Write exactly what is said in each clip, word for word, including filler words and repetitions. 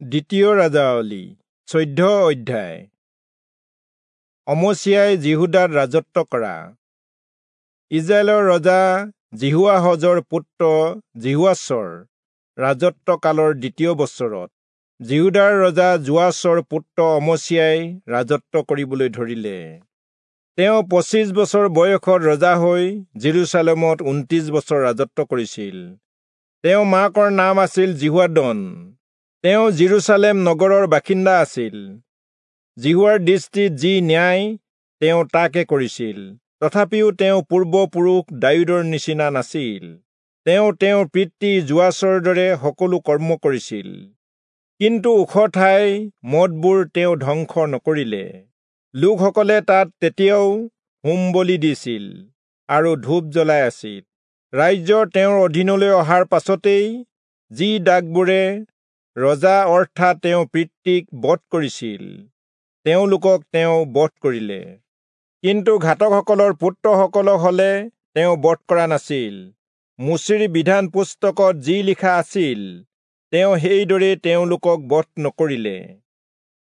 দ্বিতীয় ৰাজাৱলী চৈধ্য অধ্যায়। অমচিয়াই যিহূদাত ৰাজত্ব কৰা। ইজৰাইলৰ ৰজা যিহোৱাহজৰ পুত্ৰ যিহোৱাচৰ ৰাজত্বকালৰ দ্বিতীয় বছৰত যিহূদাৰ ৰজা যোৱাচৰ পুত্ৰ অমচিয়াই ৰাজত্ব কৰিবলৈ ধৰিলে। তেওঁ পঁচিছ বছৰ বয়সত ৰজা হৈ যিৰূচালেমত ঊনত্ৰিশ বছৰ ৰাজত্ব কৰিছিল। তেওঁ মাকৰ নাম আছিল যিহোৱাদন। তেওঁ যিৰূচালেম নগৰৰ বাসিন্দা আছিল। যিহোৱাৰ দৃষ্টিত যি ন্যায় তেওঁ তাকে কৰিছিল, তথাপিও তেওঁ পূৰ্বপুৰুষ দায়ূদৰ নিচিনা নাছিল। তেওঁ তেওঁৰ পিতৃ যোৱাচৰ দৰে সকলো কৰ্ম কৰিছিল, কিন্তু ওখ ঠাই মঠবোৰ তেওঁ ধ্বংস নকৰিলে। লোকসকলে তাত তেতিয়াও হোম বলি দিছিল আৰু ধূপ জ্বলাই আছিল। ৰাজ্য তেওঁৰ অধীনলৈ অহাৰ পাছতেই যি দাসবোৰে ৰজা অৰ্থাৎ তেওঁ পিতৃক বধ কৰিছিল, তেওঁলোকক তেওঁ বধ কৰিলে। কিন্তু ঘাতকসকলৰ পুত্ৰসকলক হলে তেওঁ বধ কৰা নাছিল। মোচিৰ বিধান পুস্তকত যি লিখা আছিল, তেওঁ সেইদৰে তেওঁলোকক বধ নকৰিলে।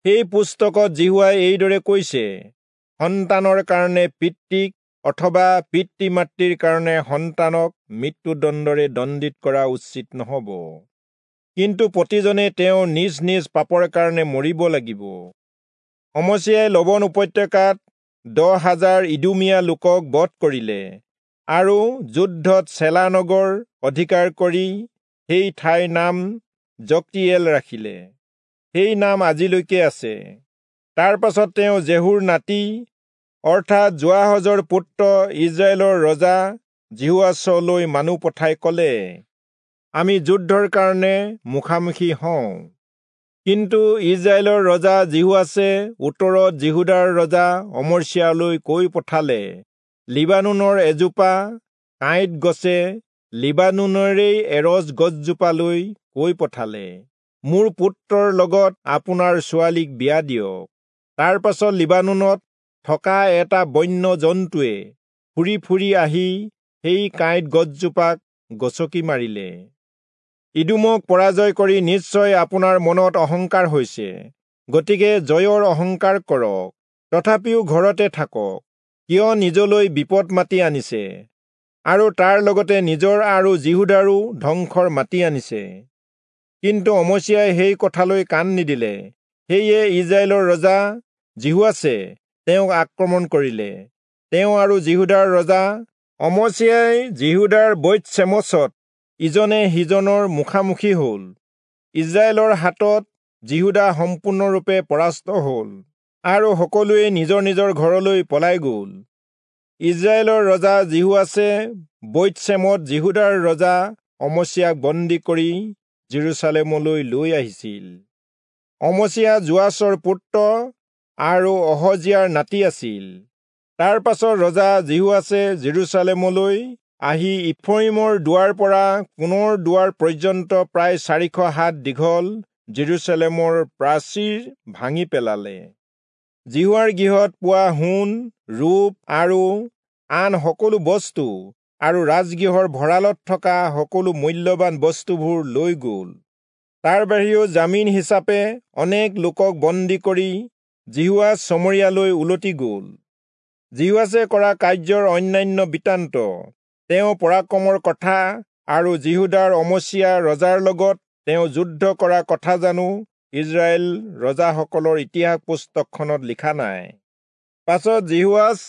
সেই পুস্তকত যিহোৱাই এইদৰে কৈছে, সন্তানৰ কাৰণে পিতৃক অথবা পিতৃ মাতৃৰ কাৰণে সন্তানক মৃত্যুদণ্ডৰে দণ্ডিত কৰা উচিত নহব, কিন্তু প্ৰতিজনে তেওঁ নিজ নিজ পাপৰ কাৰণে মৰিব লাগিব। অমচিয়াই লৱণ উপত্যকাত দহ হাজাৰ ইদুমীয়া লোকক বধ কৰিলে আৰু যুদ্ধত চেলা নগৰ অধিকাৰ কৰি সেই ঠাইৰ নাম জকটিয়েল ৰাখিলে। সেই নাম আজিলৈকে আছে। তাৰ পাছত তেওঁ জেহুৰ নাতি অৰ্থাৎ যোৱাহজৰ পুত্ৰ ইজৰাইলৰ ৰজা যিহোৱাচলৈ মানুহ পঠাই কলে, আমি যুদ্ধৰ কাৰণে মুখামুখি হওঁ। কিন্তু ইজৰাইলৰ ৰজা যিহোৱাচে উত্তৰত যিহূদাৰ ৰজা অমচিয়ালৈ কৈ পঠালে, লিবানোনৰ এজোপা কাঁইট গছে লিবানোনৰেই এৰজ গছজোপালৈ কৈ পঠালে, মোৰ পুত্ৰৰ লগত আপোনাৰ ছোৱালীক বিয়া দিয়ক। তাৰ পাছত লিবানোনত থকা এটা বন্য জন্তুৱে ফুৰি ফুৰি আহি সেই কাঁইট গছজোপাক গছকি মাৰিলে। ইদোমক পৰাজয় কৰি নিশ্চয় আপোনাৰ মনত অহংকাৰ হৈছে, গতিকে জয়ৰ অহংকাৰ কৰক, তথাপিও ঘৰতে থাকক। কিয় নিজলৈ বিপদ মাতি আনিছে আৰু তাৰ লগতে নিজৰ আৰু যিহূদাৰো ধ্বংসৰ মাতি আনিছে? কিন্তু অমচিয়াই সেই কথালৈ কাণ নিদিলে। সেয়ে ইজৰাইলৰ ৰজা যিহোৱাচে তেওঁক আক্ৰমণ কৰিলে। তেওঁ আৰু যিহূদাৰ ৰজা অমচিয়াই যিহূদাৰ বৈৎ-চেমচত ইজনে সিজনৰ মুখামুখি হল। ইজৰাইলৰ হাতত যিহূদা সম্পূৰ্ণৰূপে পৰাস্ত হল আৰু সকলোৱে নিজৰ নিজৰ ঘৰলৈ পলাই গল। ইজৰাইলৰ ৰজা যিহোৱাচে বৈৎ-চেমত যিহূদাৰ ৰজা অমচিয়াক বন্দী কৰি যিৰূচালেমলৈ লৈ আহিছিল। অমচিয়া যোৱাচৰ পুত্ৰ আৰু অহজিয়াৰ নাতি আছিল। তাৰ পাছত ৰজা যিহোৱাচে যিৰূচালেমলৈ আহি ইফ্ৰয়িমৰ দুৱাৰ পৰা কোণৰ দুৱাৰ পৰ্যন্ত প্ৰায় চাৰিশ হাত দীঘল যিৰূচালেমৰ প্ৰাচীৰ ভাঙি পেলালে। যিহোৱাৰ গৃহত পোৱা সোণ, ৰূপ আৰু আন সকলো বস্তু আৰু ৰাজগৃহৰ ভঁৰালত থকা সকলো মূল্যৱান বস্তুবোৰ লৈ গল। তাৰ বাহিৰেও জামিন হিচাপে অনেক লোকক বন্দী কৰি যিহোৱাচ চমৰীয়ালৈ উলটি গল। যিহোৱাচে কৰা কাৰ্যৰ অন্যান্য বৃত্তান্ত, তেওঁ পৰাক্ৰমৰ কথা আৰু যিহূদাৰ অমচিয়া ৰজাৰ লগত তেওঁ যুদ্ধ কৰা কথা জানো ইজৰাইল ৰজাসকলৰ ইতিহাস পুস্তকখনত লিখা নাই? পাছত যিহোৱাচ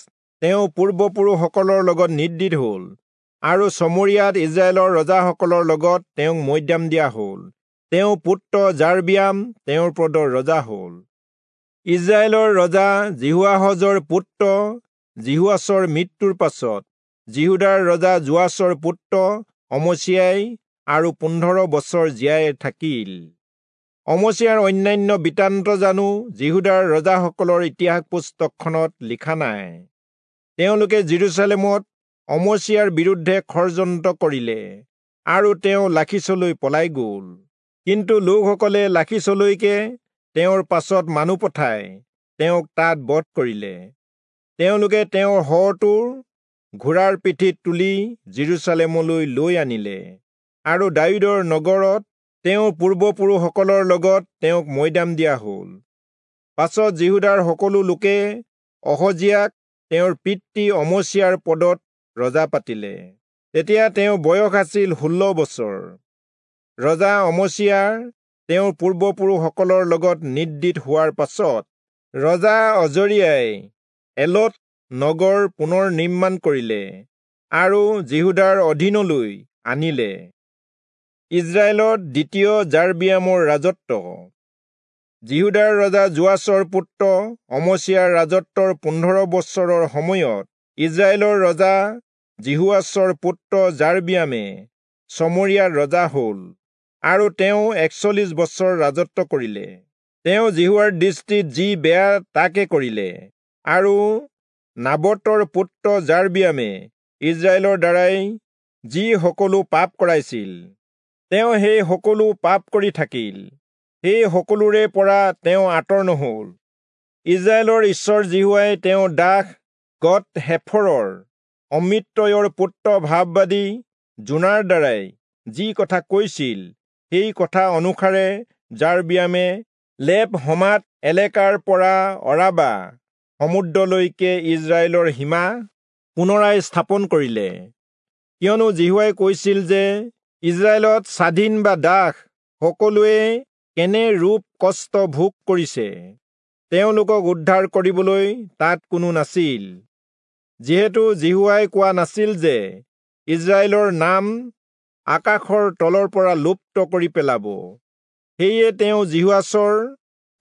তেওঁ পূৰ্বপুৰুষসকলৰ লগত নিদ্ৰিত হল আৰু চমৰীয়াত ইজৰাইলৰ ৰজাসকলৰ লগত তেওঁক মৈদাম দিয়া হল। তেওঁ পুত্ৰ যাৰবিয়াম তেওঁৰ পদৰ ৰজা হল। ইজৰাইলৰ ৰজা যিহোৱাহজৰ পুত্ৰ যিহোৱাচৰ মৃত্যুৰ পাছত যিহূদাৰ ৰজা যোৱাচৰ পুত্ৰ অমচিয়াই আৰু পোন্ধৰ বছৰ জীয়াই থাকিল। অমচিয়াৰ অন্যান্য বৃত্তান্ত জানো যিহূদাৰ ৰজাসকলৰ ইতিহাস পুস্তকখনত লিখা নাই? তেওঁলোকে যিৰূচালেমত অমচিয়াৰ বিৰুদ্ধে ষড়যন্ত্ৰ কৰিলে আৰু তেওঁ লাখীচলৈ পলাই গল। কিন্তু লোকসকলে লাখীচলৈকে তেওঁৰ পাছত মানুহ পঠাই তেওঁক তাত বধ কৰিলে। তেওঁলোকে তেওঁৰ শৱটো ঘোঁৰাৰ পিঠিত তুলি যিৰূচালেমলৈ লৈ আনিলে আৰু দায়ূদৰ নগৰত তেওঁৰ পূৰ্বপুৰুষসকলৰ লগত তেওঁক মৈদাম দিয়া হ'ল। পাছত যিহূদাৰ সকলো লোকে অহজিয়াক তেওঁৰ পিতৃ অমচিয়াৰ পদত ৰজা পাতিলে। তেতিয়া তেওঁৰ বয়স আছিল ষোল্ল বছৰ। ৰজা অমচিয়াৰ তেওঁৰ পূৰ্বপুৰুষসকলৰ লগত নিদ্ৰিত হোৱাৰ পাছত ৰজা অজৰিয়াই এলত নগৰ পুনৰ নিৰ্মাণ কৰিলে আৰু যিহূদাৰ অধীনলৈ আনিলে। ইজৰাইলত দ্বিতীয় যাৰবিয়ামৰ ৰাজত্ব। যিহূদাৰ ৰজা যোৱাচৰ পুত্ৰ অমচিয়াৰ ৰাজত্বৰ পোন্ধৰ বছৰৰ সময়ত ইজৰাইলৰ ৰজা যিহোৱাচৰ পুত্ৰ যাৰবিয়ামে চমৰিয়াত ৰজা হ'ল আৰু তেওঁ একচল্লিশ বছৰ ৰাজত্ব কৰিলে। তেওঁ যিহোৱাৰ দৃষ্টিত যি বেয়া তাকে কৰিলে আৰু নাবতৰ পুত্ৰ যাৰবিয়ামে ইজৰাইলৰ দ্বাৰাই যি সকলো পাপ কৰাইছিল, তেওঁ সেই সকলো পাপ কৰি থাকিল। সেই সকলোৰে পৰা তেওঁ আঁতৰ নহল। ইজৰাইলৰ ঈশ্বৰ যিহোৱাই তেওঁৰ দাস গত হেফৰৰ অমিত্তয়ৰ পুত্ৰ ভাববাদী যোনাৰ দ্বাৰাই যি কথা কৈছিল, সেই কথা অনুসাৰে যাৰবিয়ামে লেব হমাত এলেকাৰ পৰা অৰাবা সমুদ্ৰলৈকে ইজৰাইলৰ সীমা পুনৰাই স্থাপন কৰিলে। কিয়নো যিহোৱাই কৈছিল যে ইজৰাইলত স্বাধীন বা দাস সকলোৱে কেনে ৰূপ কষ্ট ভোগ কৰিছে, তেওঁলোকক উদ্ধাৰ কৰিবলৈ তাত কোনো নাছিল। যিহেতু যিহোৱাই কোৱা নাছিল যে ইজৰাইলৰ নাম আকাশৰ তলৰ পৰা লুপ্ত কৰি পেলাব, সেয়ে তেওঁ যিহোৱাচৰ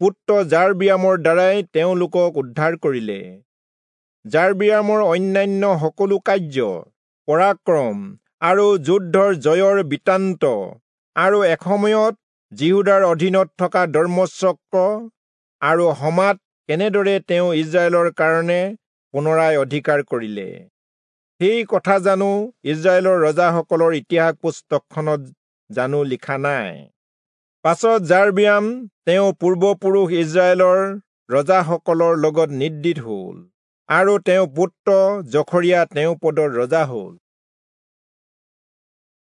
পুত্ৰ যাৰবিয়ামৰ দ্বাৰাই তেওঁলোকক উদ্ধাৰ কৰিলে। যাৰবিয়ামৰ অন্যান্য সকলো কাৰ্য, পৰাক্ৰম আৰু যুদ্ধৰ জয়ৰ বৃত্তান্ত আৰু এসময়ত যিহূদাৰ অধীনত থকা দম্মেচক আৰু হমাত কেনেদৰে তেওঁ ইজৰাইলৰ কাৰণে পুনৰাই অধিকাৰ কৰিলে, সেই কথা জানো ইজৰাইলৰ ৰজাসকলৰ ইতিহাস পুস্তকখনত জানো লিখা নাই? পাছত যাৰবিয়াম তেওঁ পূৰ্বপুৰুষ ইজৰাইলৰ ৰজাসকলৰ লগত নিদ্ৰিত হ'ল আৰু তেওঁ পুত্ৰ জখৰিয়া তেওঁ পদত ৰজা হ'ল।